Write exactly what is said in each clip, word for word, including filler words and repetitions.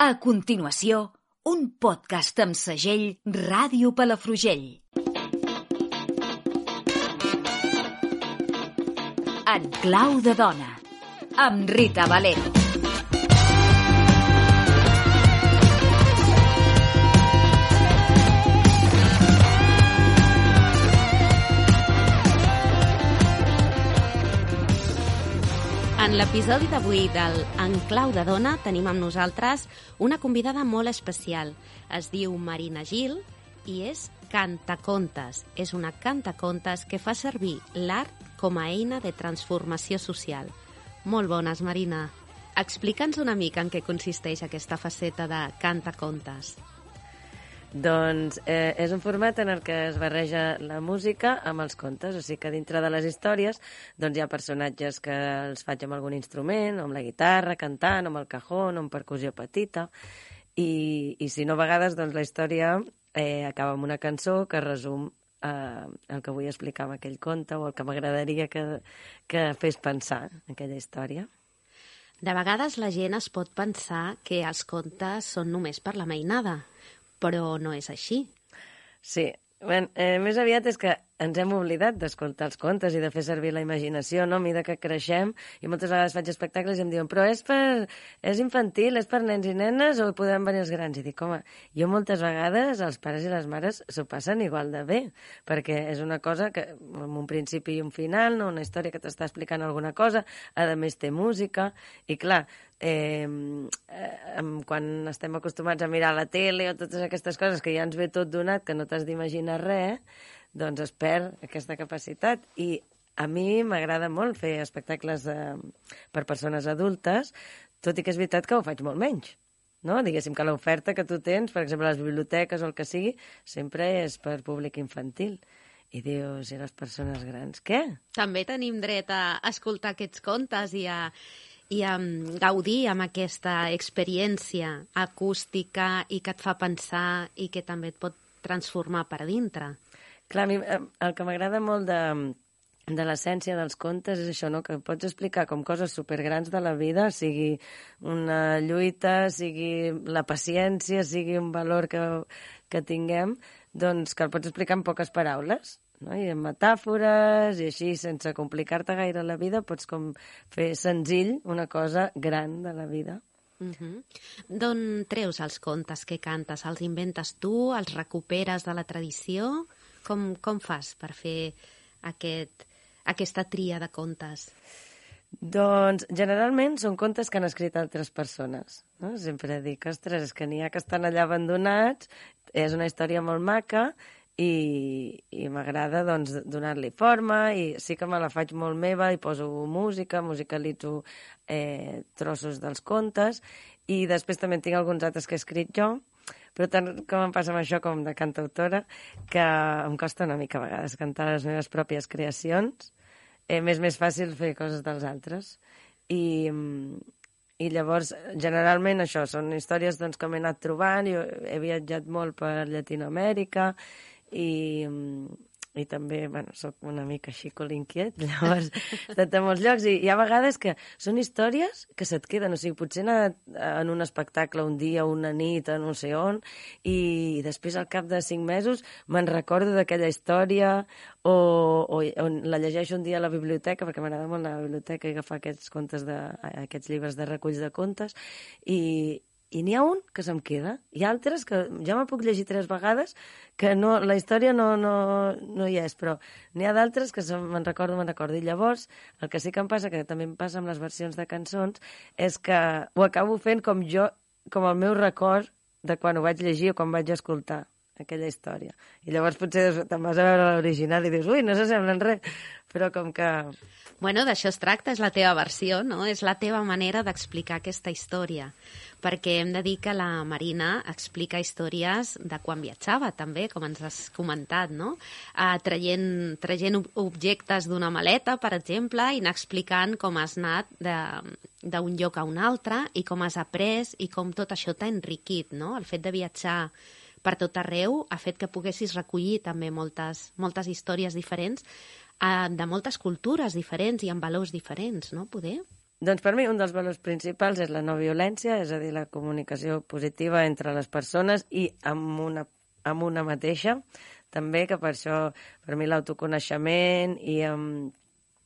A continuació, un podcast amb segell Ràdio Palafrugell. En clau de dona, amb Rita Valero. En l'episodi d'avui del En clau de dona tenim amb nosaltres una convidada molt especial. Es diu Marina Gil i és cantacontes. És una cantacontes que fa servir l'art com a eina de transformació social. Molt bones, Marina. Explica'ns una mica en què consisteix aquesta faceta de cantacontes. Doncs eh, és un format en el que es barreja la música amb els contes, o sigui que dintre de les històries doncs hi ha personatges que els faig amb algun instrument, o amb la guitarra, cantant, o amb el cajón, o amb percussió petita, i, i si no, a vegades doncs, la història eh, acaba amb una cançó que resum eh, el que vull explicar amb aquell conte o el que m'agradaria que, que fes pensar aquella història. De vegades la gent es pot pensar que els contes són només per la mainada, però no és així. Sí, ben, eh, més aviat és que ens hem oblidat d'escoltar els contes i de fer servir la imaginació, no? A mesura que creixem, i moltes vegades faig espectacles i em diuen però és, per, és infantil, és per nens i nenes o podem venir els grans? I dic, home, jo moltes vegades els pares i les mares s'ho passen igual de bé, perquè és una cosa que amb un principi i un final, no? Una història que t'està explicant alguna cosa, a més té música, i clar, eh, eh, quan estem acostumats a mirar la tele o totes aquestes coses que ja ens ve tot donat, que no t'has d'imaginar res, doncs es perd aquesta capacitat. I a mi m'agrada molt fer espectacles eh, per persones adultes, tot i que és veritat que ho faig molt menys. No? Diguéssim que l'oferta que tu tens, per exemple, a les biblioteques o el que sigui, sempre és per públic infantil. I dius, i les persones grans, què? També tenim dret a escoltar aquests contes i a, i a gaudir amb aquesta experiència acústica i que et fa pensar i que també et pot transformar per dintre. Clar, a mi el que m'agrada molt de, de l'essència dels contes és això, no? Que pots explicar com coses supergrans de la vida, sigui una lluita, sigui la paciència, sigui un valor que, que tinguem, doncs que el pots explicar en poques paraules, no? I amb metàfores i així, sense complicar-te gaire la vida, pots com fer senzill una cosa gran de la vida. Uh-huh. D'on treus els contes que cantes? Els inventes tu? Els recuperes de la tradició? Com, com fas per fer aquest, aquesta tria de contes? Doncs generalment són contes que han escrit altres persones. No? Sempre dic, ostres, és que n'hi ha que estan allà abandonats, és una història molt maca i, i m'agrada doncs, donar-li forma i sí que me la faig molt meva i poso música, musicalitzo eh, trossos dels contes i després també tinc alguns altres que he escrit jo, però tant com em passa amb això com de cantautora, que em costa una mica a vegades cantar les meves pròpies creacions. Eh, M'és més fàcil fer coses dels altres. I, i llavors, generalment, això, són històries doncs, que m'he anat trobant. Jo he viatjat molt per Llatinoamèrica i... i també, bueno, soc una mica així colinquiet, llavors he estat a molts llocs i hi ha vegades que són històries que se't queden, o sigui, potser he anat en un espectacle un dia, una nit, a no sé on, i després al cap de cinc mesos me'n recordo d'aquella història o, o, o la llegeixo un dia a la biblioteca, perquè m'agrada molt anar a la biblioteca i agafar aquests contes de, aquests llibres de reculls de contes, i I n'hi ha un que se'm queda, i altres que ja me puc llegir tres vegades, que no, la història no, no, no hi és, però n'hi ha d'altres que me'n recordo, me'n recordo. I llavors, el que sí que em passa, que també em passa amb les versions de cançons, és que ho acabo fent com jo, com el meu record de quan ho vaig llegir o quan vaig escoltar aquella història. I llavors potser te'n vas a veure l'original i dius, ui, no s'assemblen res, però com que... Bueno, d'això es tracta, és la teva versió, no? És la teva manera d'explicar aquesta història. Perquè hem de dir que la Marina explica històries de quan viatjava, també, com ens has comentat, no? Uh, traient, traient objectes d'una maleta, per exemple, i anar explicant com has anat d'un lloc a un altre i com has après i com tot això t'ha enriquit, no? El fet de viatjar per tot arreu ha fet que poguessis recollir també moltes, moltes històries diferents eh, de moltes cultures diferents i amb valors diferents, no? Poder? Doncs per mi un dels valors principals és la no violència, és a dir, la comunicació positiva entre les persones i amb una, amb una mateixa. També que per això, per mi l'autoconeixement i, um,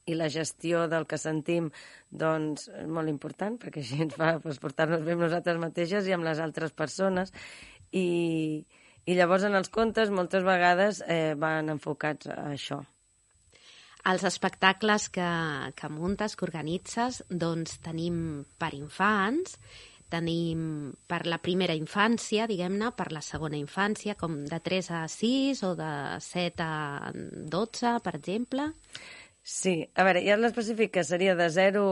i la gestió del que sentim doncs, és molt important, perquè així ens fa pues, portar-nos bé amb nosaltres mateixes i amb les altres persones. I, i llavors en els contes moltes vegades eh, van enfocats a això. Els espectacles que, que muntes, que organitzes, doncs tenim per infants, tenim per la primera infància, diguem-ne, per la segona infància, com de tres a sis o de set a dotze, per exemple. Sí, a veure, ja l'específic que seria de zero...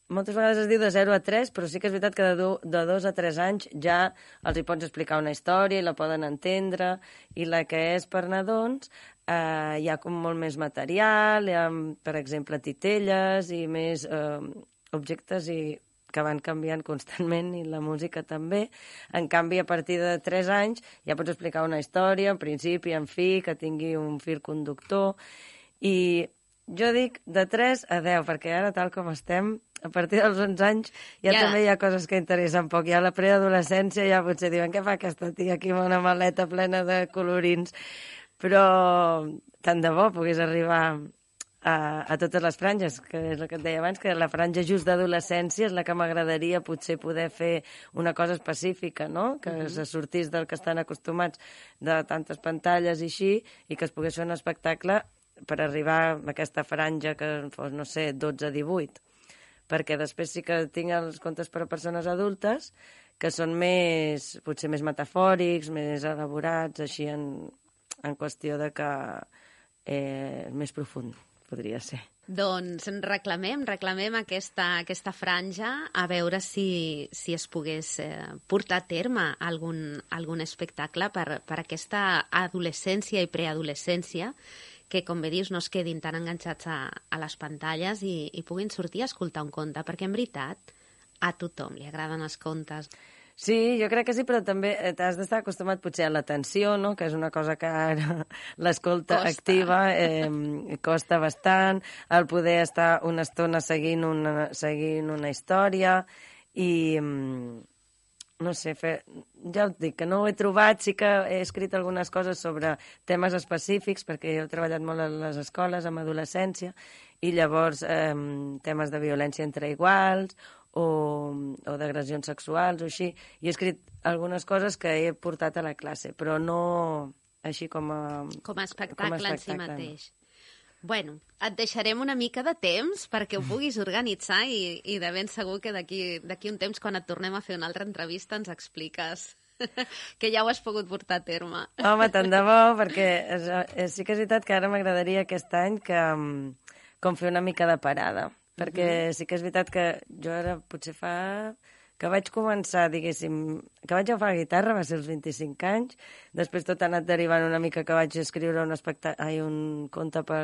Moltes vegades es diu de zero a tres, però sí que és veritat que de, do, de dos a tres anys ja els hi pots explicar una història i la poden entendre, i la que és per nadons eh, hi ha com molt més material, hi ha, per exemple, titelles i més eh, objectes i que van canviant constantment, i la música també. En canvi, a partir de tres anys ja pots explicar una història, en principi, en fi, que tingui un fil conductor, i jo dic de tres a deu, perquè ara, tal com estem, a partir dels onze anys ja, ja també hi ha coses que interessen poc. Ja a la preadolescència ja potser diuen què fa aquesta tia aquí amb una maleta plena de colorins. Però tant de bo pogués arribar a, a totes les franges, que és el que et deia abans, que la franja just d'adolescència és la que m'agradaria potser poder fer una cosa específica, no? Que uh-huh. se sortís del que estan acostumats de tantes pantalles i així, i que es pogués fer un espectacle per arribar a aquesta franja que fos, no sé, dotze a divuit. Perquè després sí que tinc els contes per a persones adultes que són més, potser més metafòrics, més elaborats, així en, en qüestió de que eh, més profund, podria ser. Doncs reclamem, reclamem aquesta, aquesta franja a veure si, si es pogués eh, portar a terme algun, algun espectacle per, per aquesta adolescència i preadolescència, que, com bé dius, no es quedin tan enganxats a, a les pantalles i, i puguin sortir a escoltar un conte, perquè, en veritat, a tothom li agraden els contes. Sí, jo crec que sí, però també t'has d'estar acostumat potser a l'atenció, no? Que és una cosa que ara l'escolta activa eh, costa bastant, el poder estar una estona seguint una, seguint una història i... no sé, fer... ja et dic que no ho he trobat, sí que he escrit algunes coses sobre temes específics, perquè jo he treballat molt a les escoles, amb adolescència, i llavors eh, temes de violència entre iguals o, o d'agressions sexuals o així, i he escrit algunes coses que he portat a la classe, però no així com a... Com a espectacle, com a espectacle en si mateix. No. Bueno, et deixarem una mica de temps perquè ho puguis organitzar i, i de ben segur que d'aquí d'aquí un temps, quan et tornem a fer una altra entrevista, ens expliques que ja ho has pogut portar a terme. Home, tant de bo, perquè és, és, sí que és veritat que ara m'agradaria aquest any que, com fer una mica de parada, perquè uh-huh. sí que és veritat que jo ara potser fa... que vaig començar, diguéssim, que vaig agafar la guitarra, va ser als vint-i-cinc anys, després tot ha anat derivant una mica que vaig escriure un, especta... Ai, un conte per,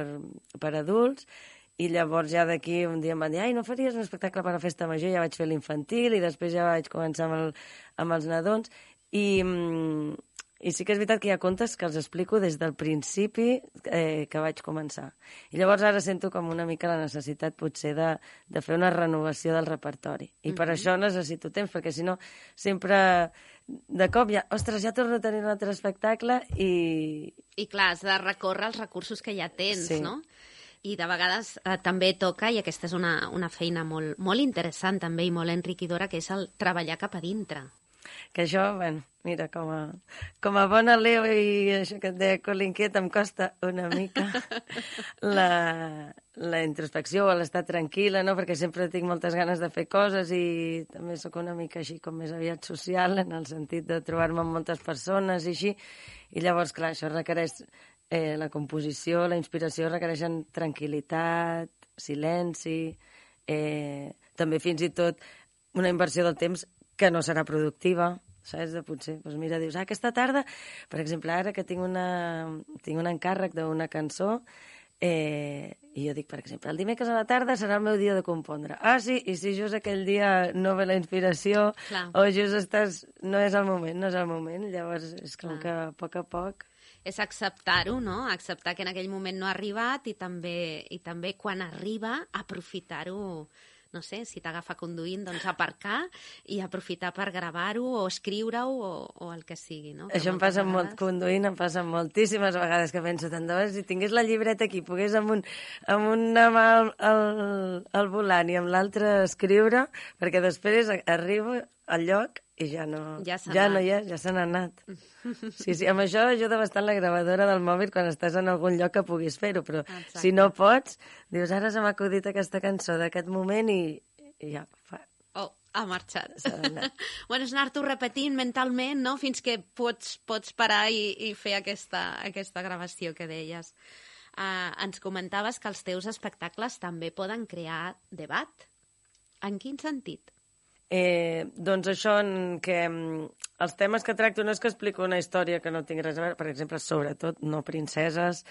per adults, i llavors ja d'aquí un dia em van dir ai, no faries un espectacle per a la festa major? Ja vaig fer l'infantil i després ja vaig començar amb, el, amb els nadons, i... I sí que és veritat que hi ha contes que els explico des del principi eh, que vaig començar. I llavors ara sento com una mica la necessitat potser de, de fer una renovació del repertori. I mm-hmm. per això necessito temps, perquè si no sempre de cop ja, ostres, ja torno a tenir un altre espectacle i... I clar, has de recórrer els recursos que ja tens, sí. no? I de vegades eh, també toca, i aquesta és una, una feina molt, molt interessant també i molt enriquidora, que és el treballar cap a dintre. Que això, bueno, mira, com a, com a bona Leo i això que et deia l'inquiet, em costa una mica la, la introspecció o l'estar tranquil·la, no? Perquè sempre tinc moltes ganes de fer coses i també sóc una mica així com més aviat social, en el sentit de trobar-me amb moltes persones i així. I llavors, clar, això requereix eh, la composició, la inspiració requereixen tranquil·litat, silenci, eh, també fins i tot una inversió del temps que no serà productiva, saps? De potser, doncs mira, dius, ah, aquesta tarda, per exemple, ara que tinc, una, tinc un encàrrec d'una cançó, eh, i jo dic, per exemple, el dimecres a la tarda serà el meu dia de compondre. Ah, sí, i si just aquell dia no ve la inspiració, clar. O just estàs... no és el moment, no és el moment, llavors és com clar. Que a poc a poc... És acceptar-ho, no? Acceptar que en aquell moment no ha arribat i també, i també quan arriba, aprofitar-ho no sé, si t'agafa conduint, doncs aparcar i aprofitar per gravar-ho o escriure-ho o, o el que sigui, no? Això em passa molt conduint, em passa moltíssimes vegades que penso tant de vegades, si tingués la llibreta aquí, pogués amb, un, amb una mà al, al, al volant i amb l'altra escriure, perquè després arribo al lloc i ja no, ja, ja no hi és, ja se n'ha anat. Sí, sí, amb això ajuda bastant la gravadora del mòbil quan estàs en algun lloc que puguis fer-ho, però exacte. Si no pots, dius, ara se m'ha acudit aquesta cançó d'aquest moment i, i ja fa... Oh, ha marxat. Bueno, és anar-t'ho repetint mentalment, no?, fins que pots, pots parar i, i fer aquesta, aquesta gravació que deies. Uh, ens comentaves que els teus espectacles també poden crear debat. En quin sentit? Eh, doncs això en què els temes que tracto no és que explico una història que no tinc res a veure, per exemple, sobretot no princeses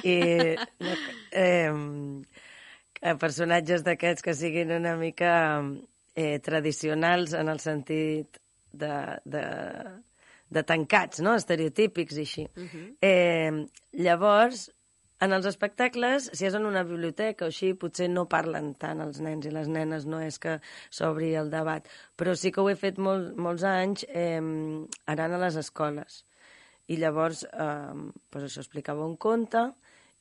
i no, eh, personatges d'aquests que siguin una mica eh, tradicionals en el sentit de, de, de tancats, no? Estereotípics i així. Uh-huh. eh, llavors, en els espectacles, si és en una biblioteca o així, potser no parlen tant els nens i les nenes, no és que s'obri el debat. Però sí que ho he fet molt, molts anys eh, anant a les escoles. I llavors, eh, doncs això, explicava un conte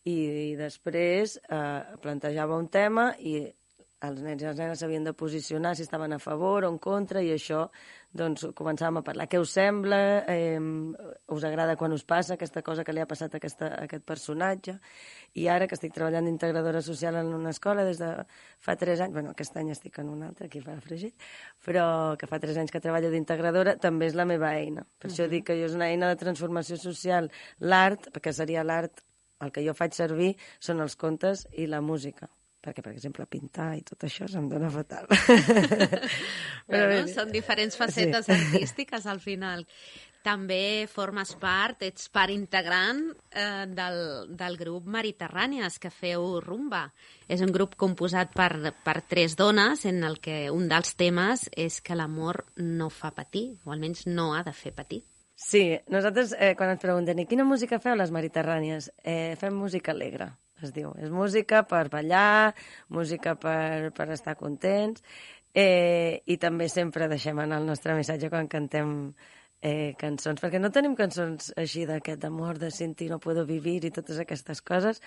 i, i després eh, plantejava un tema i els nens i les nenes s'havien de posicionar si estaven a favor o en contra i això, doncs, començàvem a parlar. Què us sembla? Eh, us agrada quan us passa aquesta cosa que li ha passat a, aquesta, a aquest personatge? I ara que estic treballant d'integradora social en una escola des de fa tres anys, bueno, aquest any estic en una altra, aquí fa fregit, però que fa tres anys que treballo d'integradora, també és la meva eina. Per uh-huh. això dic que jo és una eina de transformació social. L'art, perquè seria l'art, el que jo faig servir són els contes i la música. Perquè, per exemple, pintar i tot això se'm dona fatal. Però bueno, són diferents facetes sí. artístiques, al final. També formes part, ets part integrant eh, del, del grup Mediterrànies, que feu rumba. És un grup composat per, per tres dones, en el que un dels temes és que l'amor no fa patir, o almenys no ha de fer patir. Sí, nosaltres, eh, quan ens pregunten i quina música feu les Mediterrànies, eh, fem música alegre. Es diu, és música per ballar, música per, per estar contents, eh, i també sempre deixem anar el nostre missatge quan cantem eh, cançons, perquè no tenim cançons així d'aquest amor, de sentir no puedo vivir i totes aquestes coses,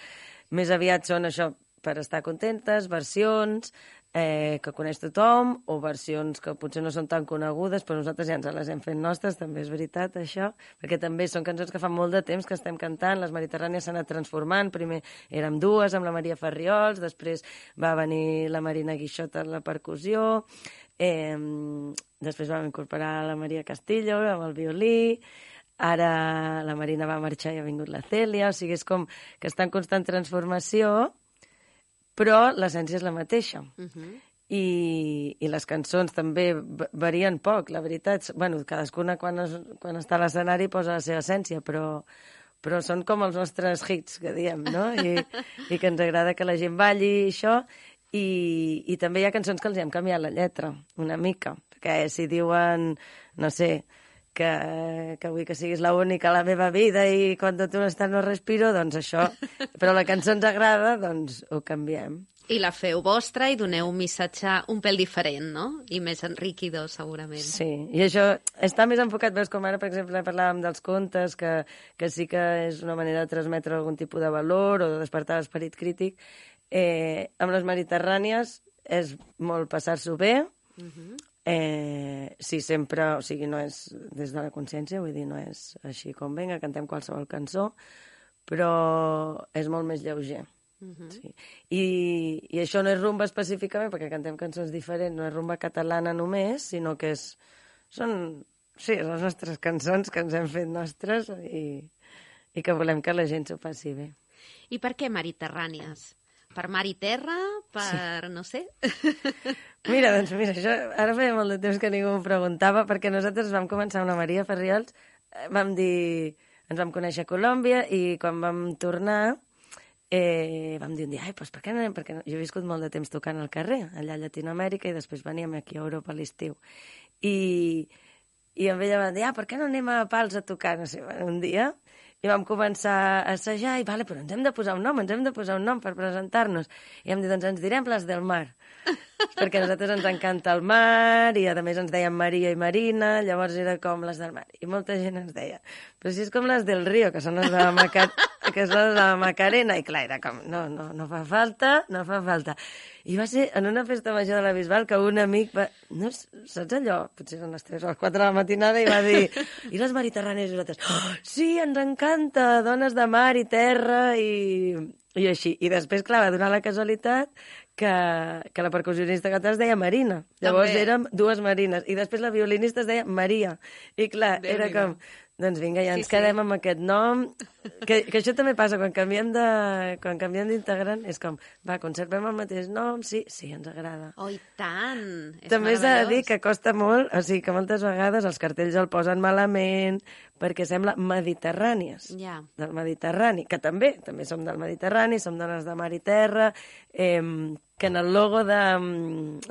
més aviat són això, per estar contentes, versions eh, que coneix tothom, o versions que potser no són tan conegudes, però nosaltres ja ens les hem fet nostres, també és veritat això, perquè també són cançons que fa molt de temps que estem cantant, les Mediterrànies s'han anat transformant, primer érem dues amb la Maria Farriols, després va venir la Marina Guixot en la percussió, eh, després vam incorporar la Maria Castillo amb el violí, ara la Marina va marxar i ha vingut la Cèlia, o sigui, és com que està en constant transformació, però l'essència és la mateixa. Uh-huh. I, i les cançons també varien poc, la veritat. Bueno, cadascuna quan, es, quan està a l'escenari posa la seva essència, però, però són com els nostres hits, que diem, no? I, i que ens agrada que la gent balli i això. I, i també hi ha cançons que els hem canviat la lletra, una mica. Perquè si diuen, no sé, que, que vull que siguis l'única a la meva vida i quan tu no estàs no respiro, doncs això. Però la cançó ens agrada, doncs ho canviem. I la feu vostra i doneu un missatge un pèl diferent, no? I més enriquidor, segurament. Sí, i això està més enfocat, veus, com ara, per exemple, parlàvem dels contes, que, que sí que és una manera de transmetre algun tipus de valor o de despertar l'esperit crític. Eh, amb les Mediterrànies és molt passar-s'ho bé, uh-huh. Eh, sí, sempre, o sigui, no és des de la consciència, vull dir, no és així com venga, cantem qualsevol cançó, però és molt més lleuger. Uh-huh. Sí. I, I això no és rumba específicament, perquè cantem cançons diferents, no és rumba catalana només, sinó que és, són sí, les nostres cançons que ens hem fet nostres i, i que volem que la gent s'ho passi bé. I per què Mediterrànies? Per mar i terra? Per... Sí. no sé? Mira, doncs mira, això ara feia molt de temps que ningú m'ho preguntava, perquè nosaltres vam començar amb la Maria Farriols, vam dir... Ens vam conèixer a Colòmbia i quan vam tornar eh, vam dir un dia, ai, doncs per què no anem? Perquè no? Jo he viscut molt de temps tocant al carrer, allà a Llatinoamèrica, i després veníem aquí a Europa a l'estiu. I, i amb ella vam dir, ah, per què no anem a Pals a tocar? No sé, un dia... I vam començar a assajar i, vale, però ens hem de posar un nom, ens hem de posar un nom per presentar-nos. I vam dir, doncs ens direm les del Mar. perquè a nosaltres ens encanta el mar i a més ens deien Maria i Marina, llavors era com les del mar. I molta gent ens deia, però si és com les del Río, que són les de la, Maca... que són les de la Macarena. I clar, era com, no, no, no fa falta, no fa falta. I va ser en una festa major de la Bisbal que un amic va... No, saps allò? Potser eren les tres o les quatre de la matinada i va dir, i les mediterrànies? I nosaltres, oh, sí, ens encanta, dones de mar i terra i, i així. I després, clar, va donar la casualitat que, que la percussionista que es deia Marina. Llavors També. érem dues Marines. I després la violinista es deia Maria. I clar, Déu era com... Doncs vinga, ja ens Sí, sí. quedem amb aquest nom. Que, que això també passa, quan canviem de, quan canviem d'integrant, és com, va, conservem el mateix nom, sí, sí, ens agrada. Oh, i tant! És També s'ha de dir meravellós. que costa molt, o sigui, que moltes vegades els cartells el posen malament perquè sembla mediterrànies, Ja. del Mediterrani, que també, també som del Mediterrani, som dones de mar i terra, eh, que en el logo de...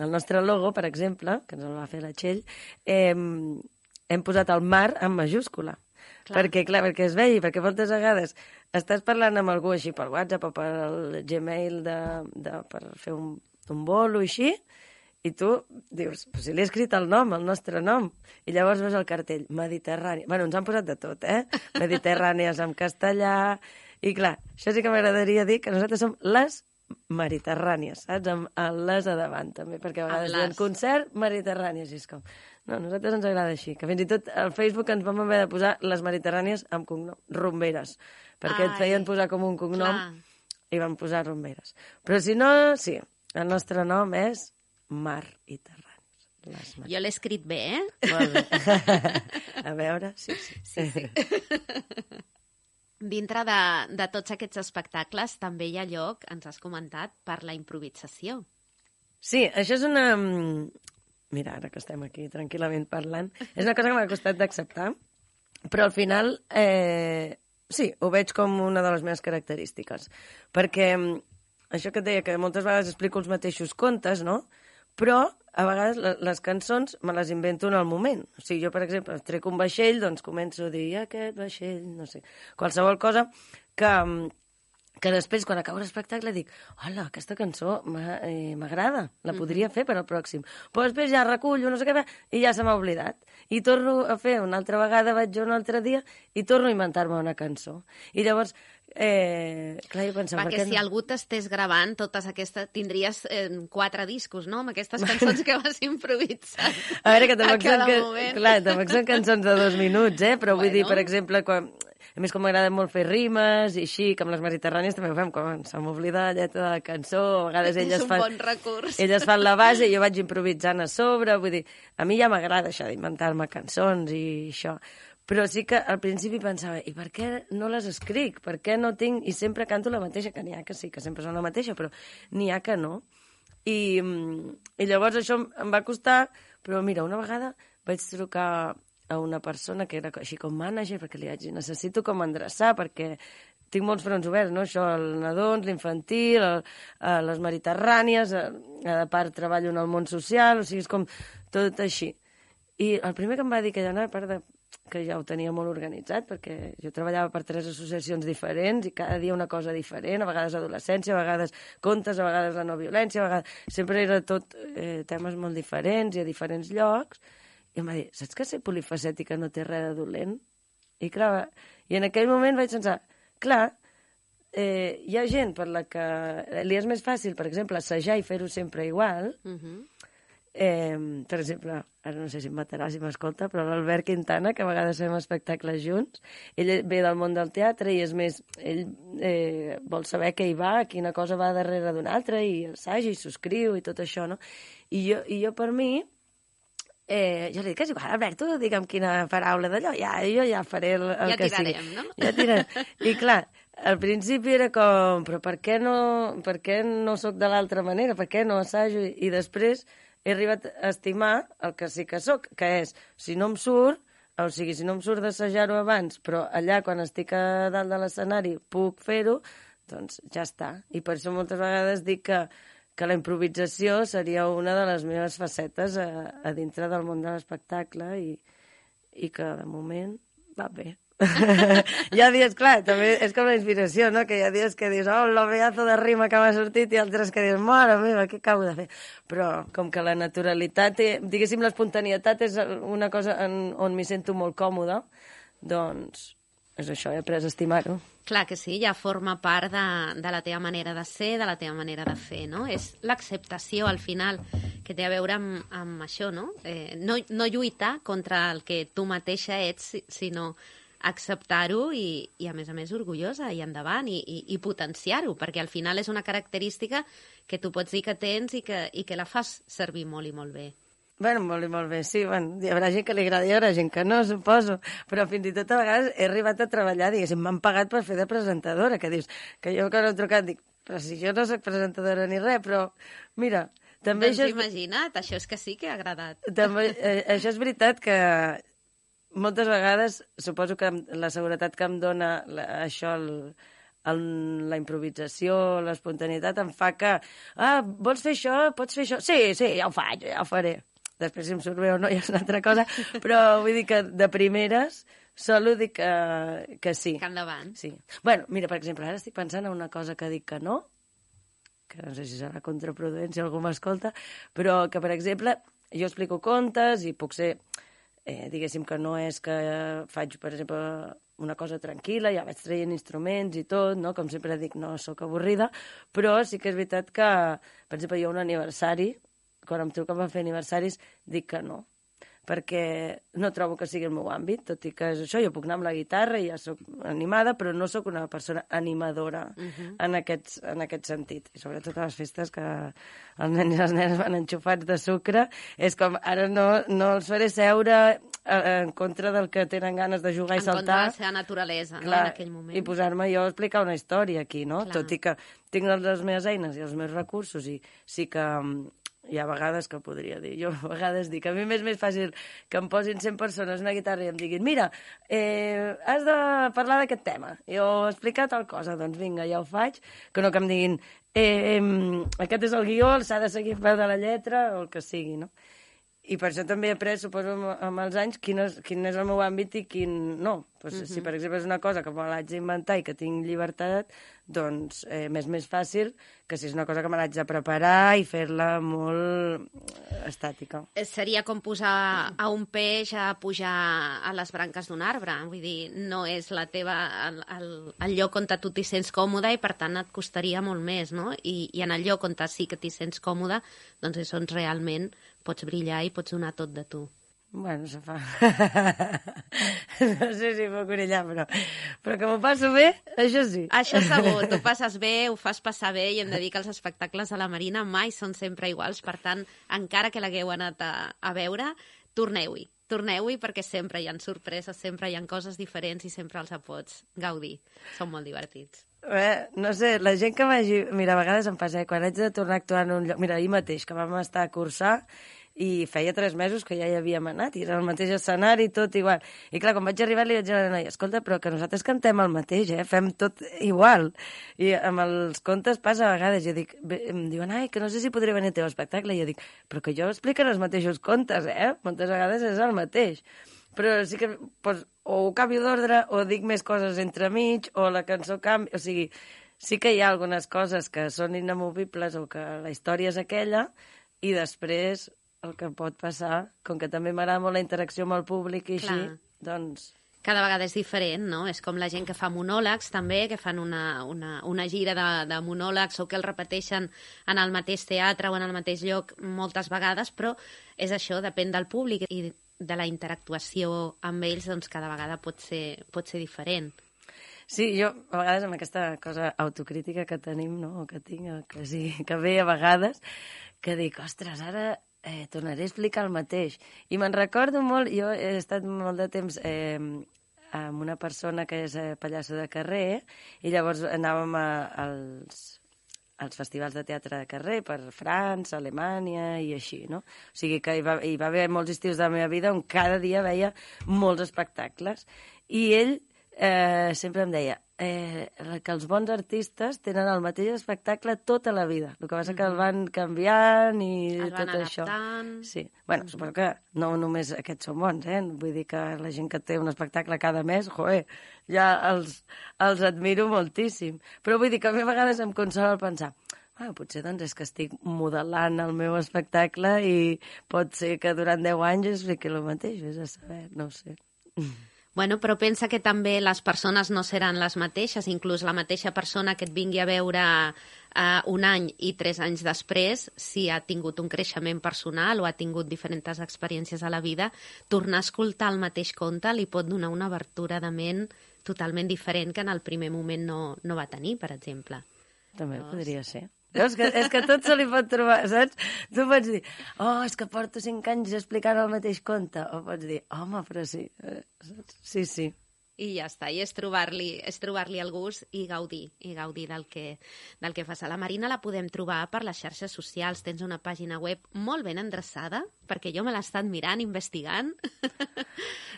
El nostre logo, per exemple, que ens el va fer la Txell, eh, hem posat el mar en majúscula. Clar. Perquè, clar, perquè es vegi, perquè moltes vegades estàs parlant amb algú així per WhatsApp o per el Gmail de, de, per fer un, un bolo i així, i tu dius, però si li he escrit el nom, el nostre nom, i llavors veus el cartell, Mediterrani. Bueno, ens han posat de tot, eh? Mediterrànies en castellà, i clar, això sí que m'agradaria dir que nosaltres som les mediterrànies, saps? Amb el les a davant, també, perquè a vegades diuen concert mediterrànies, i és com... No, a nosaltres ens agrada així, que fins i tot al Facebook ens vam haver de posar les mediterrànies amb cognom, rumberes, perquè Ai, et feien posar com un cognom clar. i van posar rumberes. Però si no, sí, el nostre nom és Mar i Terranis. Les Mar... Jo l'he escrit bé, eh? Molt bé. A veure, sí, sí. Sí, sí. Dintre de, de tots aquests espectacles també hi ha lloc, ens has comentat, per la improvisació. Sí, això és una... Mira, ara que estem aquí tranquil·lament parlant, és una cosa que m'ha costat d'acceptar, però al final eh, sí, ho veig com una de les meves característiques. Perquè això que et deia, que moltes vegades explico els mateixos contes, no? Però a vegades les cançons me les invento en el moment. O sigui, jo, per exemple, trec un vaixell, doncs començo a dir aquest vaixell, no sé, qualsevol cosa que... que després, quan acabo l'espectacle, dic hola, aquesta cançó m'agrada, la podria fer per al pròxim. Però després ja recullo, no sé què, i ja se m'ha oblidat. I torno a fer una altra vegada, vaig jo un altre dia, i torno a inventar-me una cançó. I llavors, eh, clar, jo pensava... Perquè per si no? algú t'estés gravant totes aquestes... Tindries eh, quatre discos, no?, amb aquestes cançons que vas improvisar. A veure, que a tampoc, cada són, que, moment. clar, tampoc són cançons de dos minuts, eh? Però vull Bueno. dir, per exemple, quan... A més, com m'agrada molt fer rimes i així, com les mediterrànies també ho fem, quan se m'oblida la lletra de la cançó, a vegades És elles un fan... bon recurs. Elles fan la base i jo vaig improvisant a sobre, vull dir, a mi ja m'agrada això d'inventar-me cançons i això, però sí que al principi pensava, i per què no les escric? Per què no tinc... I sempre canto la mateixa, que n'hi ha que sí, que sempre són la mateixa, però n'hi ha que no. I, i llavors això em va costar, però mira, una vegada vaig trucar a una persona que era així com mànager, perquè li vaig dir, necessito com endreçar, perquè tinc molts fronts oberts, no? Això, el nadons, l'infantil, el, el, les mediterrànies, a, a part treballo en el món social, o sigui, és com tot així. I el primer que em va dir que ja no, a part de que ja ho tenia molt organitzat, perquè jo treballava per tres associacions diferents i cada dia una cosa diferent, a vegades adolescència, a vegades contes, a vegades la no violència, a vegades... Sempre era tot eh, temes molt diferents i a diferents llocs. I em va dir, saps que ser polifacètica no té res de dolent? I clar, i en aquell moment vaig pensar, clar, eh, hi ha gent per la que li és més fàcil, per exemple, assajar i fer-ho sempre igual. Uh -huh. eh, per exemple, ara no sé si em matarà si m'escolta, però l'Albert Quintana, que a vegades fem espectacles junts, ell ve del món del teatre i és més, ell eh, vol saber què hi va, quina cosa va darrere d'una altra, i assaja i subscriu i tot això, no? I jo, i jo per mi... Eh, jo li dic, és igual, Albert, tu digue'm quina paraula d'allò, ja, jo ja faré el, el ja que tirarem, sigui. No? Ja tirarem. I clar, al principi era com, però per què no, per què no sóc de l'altra manera? Per què no assajo? I, I després he arribat a estimar el que sí que sóc, que és, si no em surt, o sigui, si no em surt d'assajar-ho abans, però allà, quan estic a dalt de l'escenari, puc fer-ho, doncs ja està. I per això moltes vegades dic que que la improvisació seria una de les meves facetes a, a dintre del món de l'espectacle i, i que de moment va bé. Hi ha dies, clar, també és com la inspiració, no? Que hi ha dies que dius, oh, el pedazo de rima que m'ha sortit, i altres que dius, mare meva, què acabo de fer? Però com que la naturalitat, diguéssim, l'espontanietat és una cosa en, on m'hi sento molt còmoda, doncs és això, he après a estimar-ho. Clar que sí, ja forma part de, de la teva manera de ser, de la teva manera de fer, no? És l'acceptació, al final, que té a veure amb, amb això, no? Eh, no? No lluitar contra el que tu mateixa ets, sinó acceptar-ho i, i, a més a més, orgullosa i endavant i, i, i potenciar-ho, perquè al final és una característica que tu pots dir que tens i que, i que la fas servir molt i molt bé. Bueno, molt i molt bé, sí, bueno, hi haurà gent que li agradi, hi haurà gent que no, suposo, però fins i tot a vegades he arribat a treballar, diguéssim, m'han pagat per fer de presentadora, que dius, que jo que no he trucat, dic, però si jo no soc presentadora ni res, però mira, també doncs això... És... imagina't, això és que sí que ha agradat. També, eh, això és veritat que moltes vegades, suposo que la seguretat que em dona la, això, el, el, la improvisació, l'espontaneïtat, em fa que, ah, vols fer això, pots fer això? Sí, sí, ja ho faig, ja ho faré. Després si em surt bé o no ja és una altra cosa, però vull dir que de primeres solo dic que, que sí. Que endavant. Sí. Bueno, mira, per exemple, ara estic pensant en una cosa que dic que no, que no sé si serà contraproduent si algú m'escolta, però que, per exemple, jo explico contes i puc ser, eh, diguéssim que no és que faig, per exemple, una cosa tranquil·la, ja vaig traient instruments i tot, no? Com sempre dic, no sóc avorrida, però sí que és veritat que, per exemple, jo un aniversari, quan em truquen per fer aniversaris, dic que no, perquè no trobo que sigui el meu àmbit, tot i que és això, jo puc anar amb la guitarra i ja sóc animada, però no sóc una persona animadora uh-huh. en, aquests, en aquest sentit. I sobretot a les festes que els nens i les nenes van enxufats de sucre, és com, ara no, no els faré seure en contra del que tenen ganes de jugar en i saltar. En contra de la seva naturalesa, clar, no, en aquell moment. I posar-me jo a explicar una història aquí, no? Clar. Tot i que tinc les meves eines i els meus recursos i sí que hi ha vegades que podria dir, jo a vegades dic, a mi m'és més fàcil que em posin cent persones una guitarra i em diguin, mira, eh, has de parlar d'aquest tema, jo he explicat tal cosa, doncs vinga, ja ho faig, que no que em diguin, eh, eh, aquest és el guió, s'ha de seguir peu de la lletra, o el que sigui, no? I per això també he après, suposo, amb els anys, quin és, quin és el meu àmbit i quin no. Pues, uh-huh. Si, per exemple, és una cosa que me l'haig d'inventar i que tinc llibertat, doncs eh, m'és més fàcil que si és una cosa que me l'haig de preparar i fer-la molt estàtica. Seria com posar a un peix a pujar a les branques d'un arbre. Vull dir, no és la teva, el, el, el lloc on tu t'hi sents còmode i, per tant, et costaria molt més, no? I, i en el lloc on sí que t'hi sents còmode, doncs és on realment pots brillar i pots donar tot de tu. Bueno, se fa. No sé si puc brillar, però, però que m'ho passo bé, això sí. Això segur, tu passes bé, ho fas passar bé i hem de dir que els espectacles de la Marina mai són sempre iguals, per tant, encara que l'hagueu anat a, a veure, torneu-hi. Torneu-hi perquè sempre hi ha sorpreses, sempre hi ha coses diferents i sempre els pots gaudir. Són molt divertits. Eh, no sé, la gent que vagi... Mira, a vegades em passa, eh, quan haig de tornar a actuar en un lloc... Mira, ahir mateix, que vam estar a cursar i feia tres mesos que ja hi havíem anat i era el mateix escenari, tot igual. I clar, quan vaig arribar li vaig dir a la noia, escolta, però que nosaltres cantem el mateix, eh? Fem tot igual. I amb els contes passa a vegades, jo dic, em diuen, ai, que no sé si podré venir al teu espectacle, i jo dic, però que jo expliquen els mateixos contes, eh? Moltes vegades és el mateix. Però sí que, doncs, o ho canvio d'ordre, o dic més coses entremig, o la cançó canvia, o sigui, sí que hi ha algunes coses que són inamovibles o que la història és aquella, i després el que pot passar, com que també m'agrada molt la interacció amb el públic i així, clar, doncs... Cada vegada és diferent, no? És com la gent que fa monòlegs, també, que fan una, una, una gira de, de monòlegs o que el repeteixen en el mateix teatre o en el mateix lloc moltes vegades, però és això, depèn del públic i de la interactuació amb ells, doncs cada vegada pot ser, pot ser diferent. Sí, jo a vegades amb aquesta cosa autocrítica que tenim, no?, o que tinc, o que sí, que ve a vegades, que dic, ostres, ara... Eh, tornaré a explicar el mateix. I me'n recordo molt, jo he estat molt de temps eh, amb una persona que és eh, pallasso de carrer, i llavors anàvem a, als, als festivals de teatre de carrer per França, Alemanya i així, no? O sigui que hi va, hi va haver molts estius de la meva vida on cada dia veia molts espectacles. I ell eh, sempre em deia, eh, que els bons artistes tenen el mateix espectacle tota la vida. El que passa que el van canviant i el tot van això. adaptant. Sí. Bueno, mm-hmm. suposo que no només aquests són bons, eh? Vull dir que la gent que té un espectacle cada mes, joder, ja els, els admiro moltíssim. Però vull dir que a mi a vegades em consola el pensar ah, potser doncs és que estic modelant el meu espectacle i pot ser que durant deu anys es fiqui el mateix, vés a saber, no ho sé. Bueno, però pensa que també les persones no seran les mateixes, inclús la mateixa persona que et vingui a veure uh, un any i tres anys després, si ha tingut un creixement personal o ha tingut diferents experiències a la vida, tornar a escoltar el mateix conte li pot donar una obertura de ment totalment diferent que en el primer moment no, no va tenir, per exemple. També Llavors... podria ser. És que, és que tot se li pot trobar, saps? Tu pots dir, oh, és que porto cinc anys explicant el mateix conte. O pots dir, home, però sí, saps? Sí, sí. I ja està, i és trobar-li és trobar-li el gust i gaudir, i gaudir del que, del que fas. A la Marina la podem trobar per les xarxes socials. Tens una pàgina web molt ben endreçada, perquè jo me l'he estat mirant, investigant,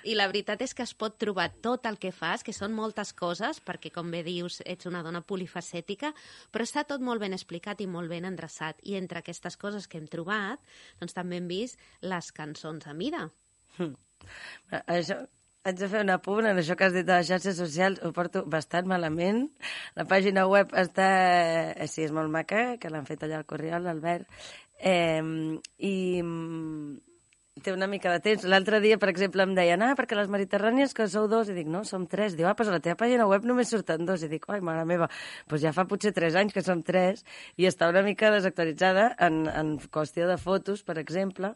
i la veritat és que es pot trobar tot el que fas, que són moltes coses, perquè, com bé dius, ets una dona polifacètica, però està tot molt ben explicat i molt ben endreçat. I entre aquestes coses que hem trobat, doncs també hem vist les cançons a mida. Hm. Això... Haig de fer un apunt en això que has dit de les xarxes socials, ho porto bastant malament. La pàgina web està... Sí, és molt maca, que l'han fet allà al Corriol, l'Albert. Eh, I té una mica de temps. L'altre dia, per exemple, em deien, ah, perquè les mediterrànies que sou dos, i dic, no, som tres. Diu, ah, doncs a la teva pàgina web només surten dos. I dic, ai, mare meva, doncs ja fa potser tres anys que som tres, i està una mica desactualitzada en, en qüestió de fotos, per exemple,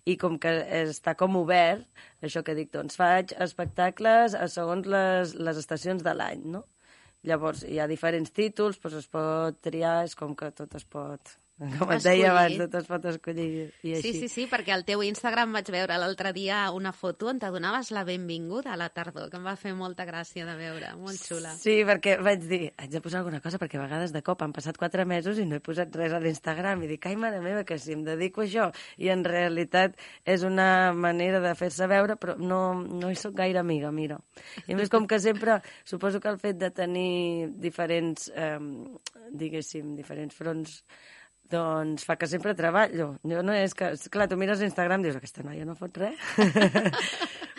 i com que està com obert, això que dic, doncs faig espectacles segons les, les estacions de l'any, no? Llavors, hi ha diferents títols, doncs es pot triar, és com que tot es pot... Com et deia abans, tot es pot escollir i així. Sí, sí, sí, perquè al teu Instagram vaig veure l'altre dia una foto on te donaves la benvinguda a la tardor, que em va fer molta gràcia de veure, molt xula. Sí, perquè vaig dir, haig de posar alguna cosa, perquè a vegades de cop han passat quatre mesos i no he posat res a l'Instagram, i dic, ai, mare meva, que si em dedico a això, i en realitat és una manera de fer-se veure, però no, no hi soc gaire amiga, mira. I a més, com que sempre, suposo que el fet de tenir diferents, eh, diguéssim, diferents fronts, doncs fa que sempre treballo. Jo no és que... Clar, tu mires Instagram i dius, aquesta noia no fot res.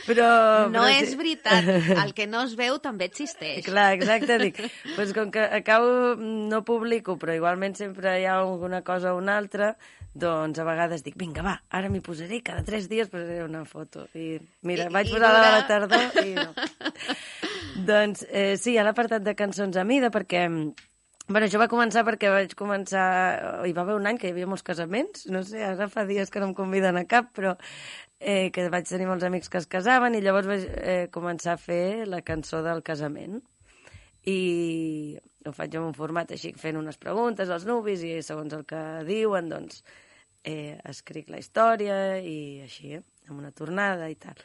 però... No però, és sí. veritat. El que no es veu també existeix. Clar, exacte. Dic, doncs com que acabo, no publico, però igualment sempre hi ha alguna cosa o una altra, doncs a vegades dic, vinga, va, ara m'hi posaré, cada tres dies posaré una foto. I mira, I, vaig posar la de la tardor i no. doncs eh, sí, hi ha l'apartat de cançons a mida, perquè... Bueno, això va començar perquè vaig començar... Hi va haver un any que hi havia molts casaments, no sé, ara fa dies que no em conviden a cap, però eh, que vaig tenir molts amics que es casaven i llavors vaig eh, començar a fer la cançó del casament. I ho faig en un format així, fent unes preguntes als nuvis i segons el que diuen, doncs, eh, escric la història i així, eh, amb una tornada i tal.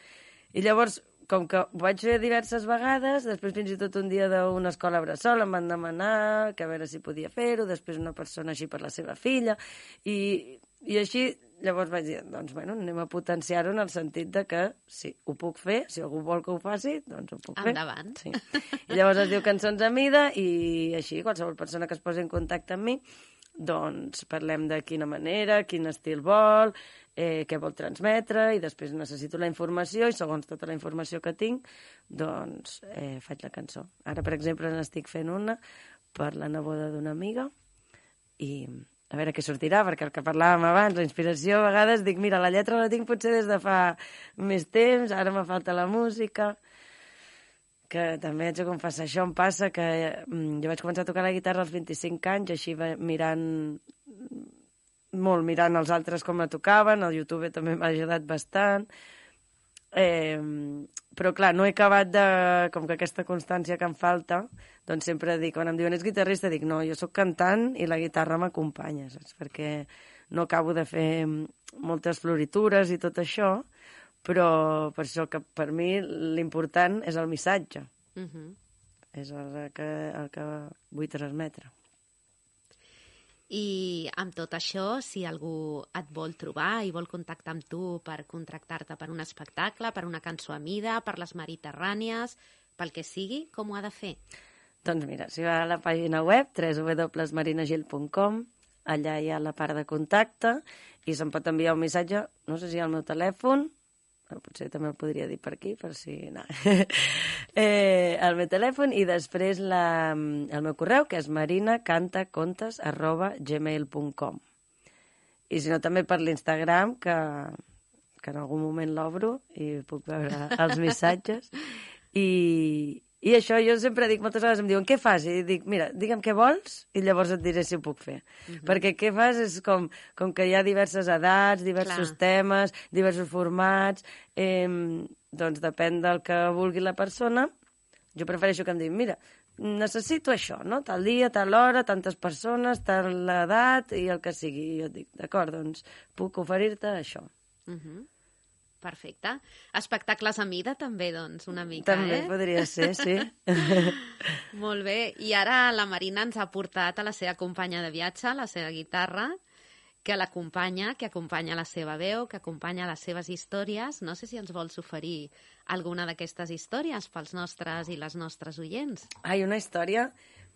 I llavors... Com que ho vaig fer diverses vegades, després fins i tot un dia d'una escola bressol em van demanar que a veure si podia fer-ho, després una persona així per la seva filla, i, i així llavors vaig dir, doncs bueno, anem a potenciar-ho en el sentit de que sí, ho puc fer, si algú vol que ho faci, doncs ho puc fer. Endavant. Sí. I llavors es diu Cançons a mida i així qualsevol persona que es posi en contacte amb mi, doncs parlem de quina manera, quin estil vol, eh, què vol transmetre, i després necessito la informació, i segons tota la informació que tinc, doncs eh, faig la cançó. Ara, per exemple, n'estic fent una per la neboda d'una amiga, i a veure què sortirà, perquè el que parlàvem abans, la inspiració, a vegades dic, mira, la lletra la tinc potser des de fa més temps, ara me falta la música... que també haig de confessar, això em passa que mm, jo vaig començar a tocar la guitarra als vint-i-cinc anys, així mirant molt, mirant els altres com la tocaven, el YouTube també m'ha ajudat bastant, eh, però clar, no he acabat de... com que aquesta constància que em falta, doncs sempre dic, quan em diuen ets guitarrista, dic no, jo sóc cantant i la guitarra m'acompanya, saps? Perquè no acabo de fer moltes floritures i tot això, però per això que per mi l'important és el missatge. Uh-huh. És el que, el que vull transmetre. I amb tot això, si algú et vol trobar i vol contactar amb tu per contractar-te per un espectacle, per una cançó a mida, per les mediterrànies, pel que sigui, com ho ha de fer? Doncs mira, si va a la pàgina web w w w punt marinagil punt com, allà hi ha la part de contacte i se'm pot enviar un missatge, no sé si al meu telèfon, bueno, potser també el podria dir per aquí, per si... No. eh, el meu telèfon i després la, el meu correu, que és marinacantacontes arroba gmail punt com. I si no, també per l'Instagram, que, que en algun moment l'obro i puc veure els missatges. I... I això jo sempre dic, moltes vegades em diuen, què fas? I dic, mira, digue'm què vols i llavors et diré si ho puc fer. Uh-huh. Perquè què fas és com, com que hi ha diverses edats, diversos Clar. temes, diversos formats, eh, doncs depèn del que vulgui la persona. Jo prefereixo que em diguin, mira, necessito això, no? Tal dia, tal hora, tantes persones, tal edat i el que sigui. I jo et dic, d'acord, doncs puc oferir-te això. Uh-huh. Perfecte. Espectacles a mida també, doncs, una mica, també eh? També podria ser, sí. Molt bé. I ara la Marina ens ha portat a la seva companya de viatge, la seva guitarra, que l'acompanya, que acompanya la seva veu, que acompanya les seves històries. No sé si ens vols oferir alguna d'aquestes històries pels nostres i les nostres oients. Ai, una història...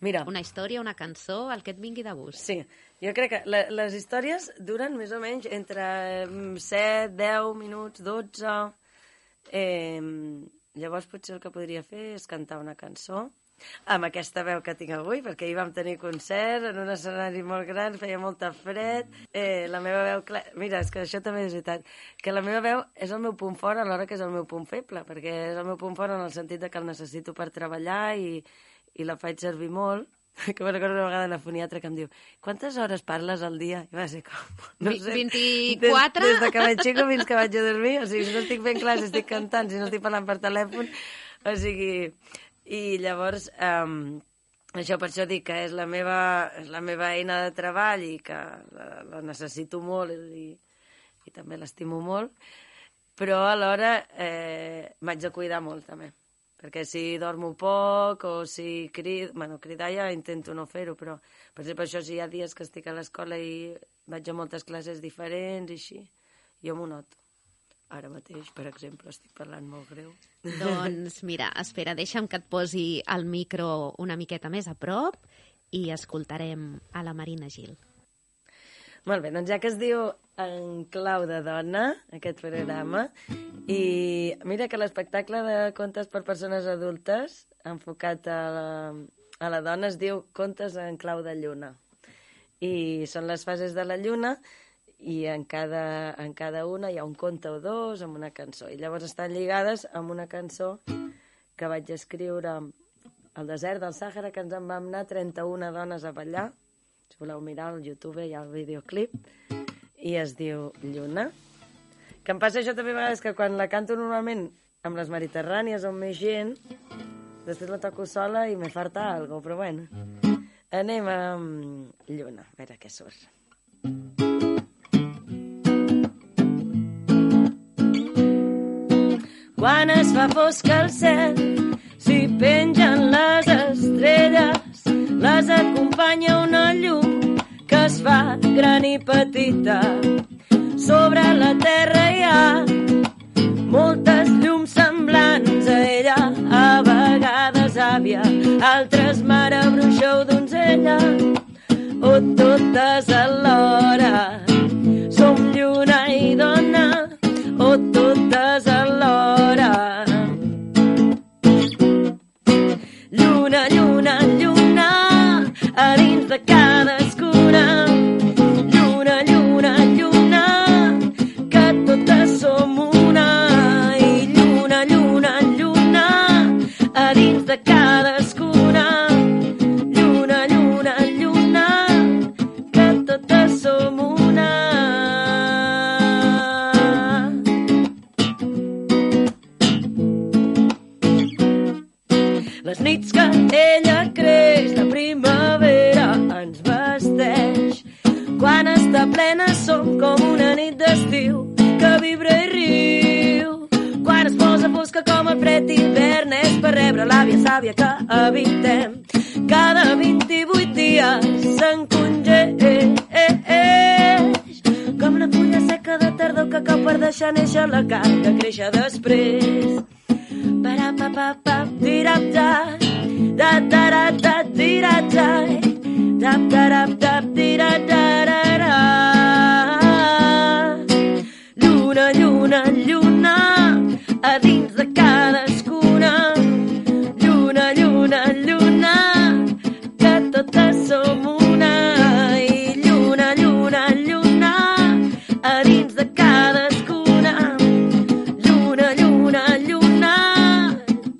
Mira. Una història, una cançó, el que et vingui de gust. Sí, jo crec que la, les històries duren més o menys entre set, deu minuts, dotze... Eh, llavors potser el que podria fer és cantar una cançó amb aquesta veu que tinc avui, perquè ahir vam tenir concert en un escenari molt gran, feia molta fred. Eh, la meva veu... Clar... Mira, és que això també és veritat, que la meva veu és el meu punt fort alhora que és el meu punt feble, perquè és el meu punt fort en el sentit de que el necessito per treballar i... i la faig servir molt, que me recordo una vegada la foniatra que em diu quantes hores parles al dia? I va ser com... No sé, vint-i-quatre? Des, des de que vaig xico fins que vaig a dormir, o sigui, si no estic fent classe, estic cantant, si no estic parlant per telèfon, o sigui... I llavors, um, això per això dic que és la meva, és la meva eina de treball i que la, la necessito molt i, i també l'estimo molt, però alhora eh, m'haig de cuidar molt, també. Perquè si dormo poc o si crido... Bueno, cridar ja intento no fer-ho, però per exemple això si hi ha dies que estic a l'escola i vaig a moltes classes diferents i així, jo m'ho noto. Ara mateix, per exemple, estic parlant molt greu. Doncs mira, espera, deixa'm que et posi el micro una miqueta més a prop i escoltarem a la Marina Gil. Molt bé, doncs ja que es diu En clau de dona, aquest programa, i mira que l'espectacle de contes per persones adultes, enfocat a la, a la dona, es diu Contes en clau de lluna. I són les fases de la lluna, i en cada, en cada una hi ha un conte o dos amb una cançó. I llavors estan lligades amb una cançó que vaig escriure al desert del Sàhara, que ens en vam anar trenta-una dones a ballar. Si voleu mirar al YouTube hi ha el videoclip. I es diu Lluna. Que em passa això també a vegades, que quan la canto normalment amb les Mediterrànies on més gent, després la toco sola i me falta algo, però bueno. Anem amb Lluna, a veure què surt. Quan es fa fosc al cel, s'hi pengen les estrelles, les acompanya una llum que es fa gran i petita. Sobre la terra hi ha moltes llums semblants a ella, a vegades àvia, altres mare bruixa o donzella, o totes alhora. Som lluna i dona, o totes alhora. Lluna, lluna, lluna, a dins de cadascuna. Lluna, lluna, lluna, que totes som una. I lluna, lluna, lluna, a dins de cadascuna. Lluna, lluna, lluna, que totes som una. Les nits que ella creix, la primavera ens vesteix. Quan està plena som com una nit d'estiu que vibra i riu. Quan es posa fosca com el fred hivern és per rebre l'àvia sàvia que habitem. Cada vint-i-vuit dies s'encongeix com la fulla seca de tardor que cau per deixar néixer la carn que créixer després. Para pa pa pa tirap-ta, da da da da di da da da da da da di da da da da. Lluna, lluna, lluna, a dins de cadascuna. Lluna, lluna, lluna, que totes som una. I lluna, lluna, lluna, a dins de cadascuna. Lluna, lluna, lluna,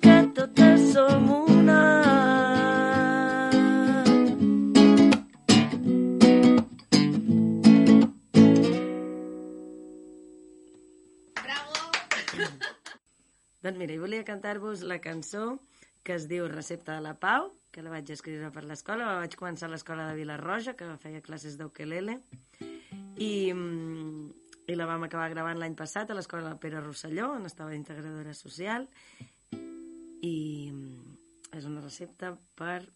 que totes som una. Doncs mira, volia cantar-vos la cançó que es diu Recepta de la Pau, que la vaig escriure per l'escola. La vaig començar a l'escola de Vila-roja, que feia classes d'ukelele, i, i la vam acabar gravant l'any passat a l'escola Pere Rosselló, on estava integradora social, i és una recepta per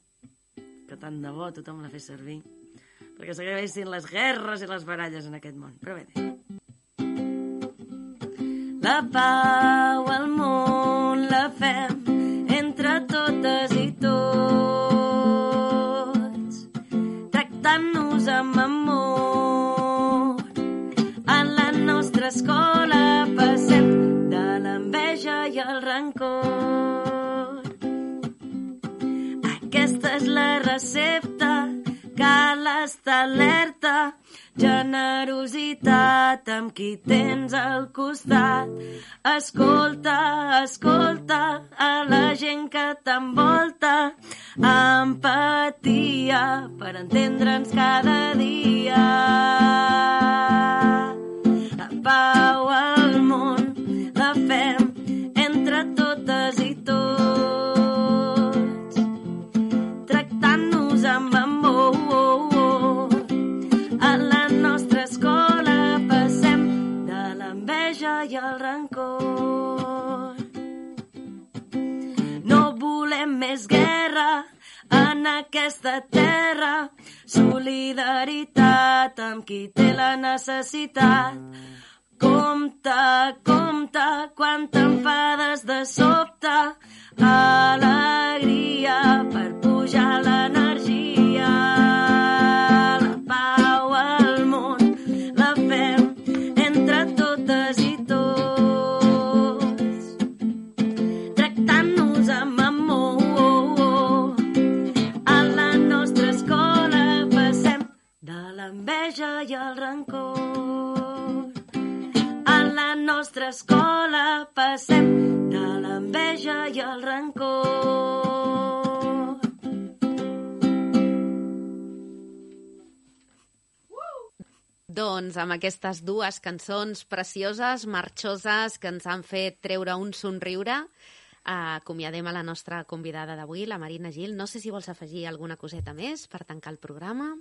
que tant de bo tothom la fes servir, perquè s'acabessin les guerres i les baralles en aquest món. Però bé, la pau al món la fem entre totes i tots, tractant-nos amb amor. En la nostra escola passem de l'enveja i el rancor. Aquesta és la recepta, cal estar alerta. Generositat amb qui tens al costat. Escolta, escolta a la gent que t'envolta. Empatia per entendre'ns cada dia. La pau al món la fem entre totes i tots, tractant-nos amb amor. A la nostra escola passem de l'enveja i el rancor. No volem més guerra en aquesta terra. Solidaritat amb qui té la necessitat. Compte, compte, quan t'enfades de sobte. Alegria per pujar l'energia. La pau al món la fem entre totes i tots, tractant-nos amb amor. A la nostra escola passem de l'enveja i el rancor. A la nostra escola passem de l'enveja i el rancor. Doncs amb aquestes dues cançons precioses, marxoses, que ens han fet treure un somriure, eh, acomiadem a la nostra convidada d'avui, la Marina Gil. No sé si vols afegir alguna coseta més per tancar el programa.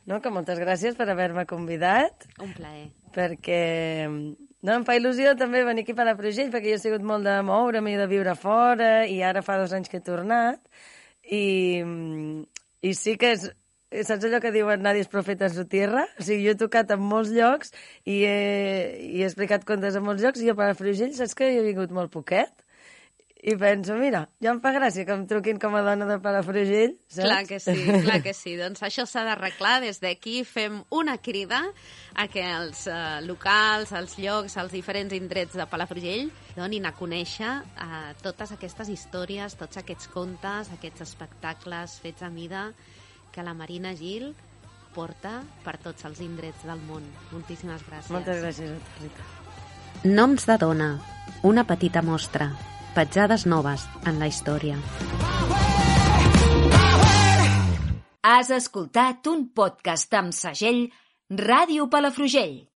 No, que moltes gràcies per haver-me convidat. Un plaer. Perquè no, em fa il·lusió també venir aquí a Palafrugell, perquè jo he sigut molt de moure'm i de viure fora, i ara fa dos anys que he tornat, i, i sí que és... Saps allò que diuen nadie és profeta en su tierra? O sigui, jo he tocat en molts llocs i he, i he explicat contes en molts llocs, i a Palafrugell saps que hi he vingut molt poquet? I penso, mira, ja em fa gràcia que em truquin com a dona de Palafrugell, saps? Clar que sí, clar que sí. Doncs això s'ha d'arreglar. Des d'aquí fem una crida a que els uh, locals, els llocs, els diferents indrets de Palafrugell donin a conèixer uh, totes aquestes històries, tots aquests contes, aquests espectacles fets a mida que la Marina Gil porta per tots els indrets del món. Moltíssimes gràcies. Moltes gràcies a tu, Rita. Noms de dona, una petita mostra, petjades noves en la història. Has escoltat un podcast amb segell Ràdio Palafrugell.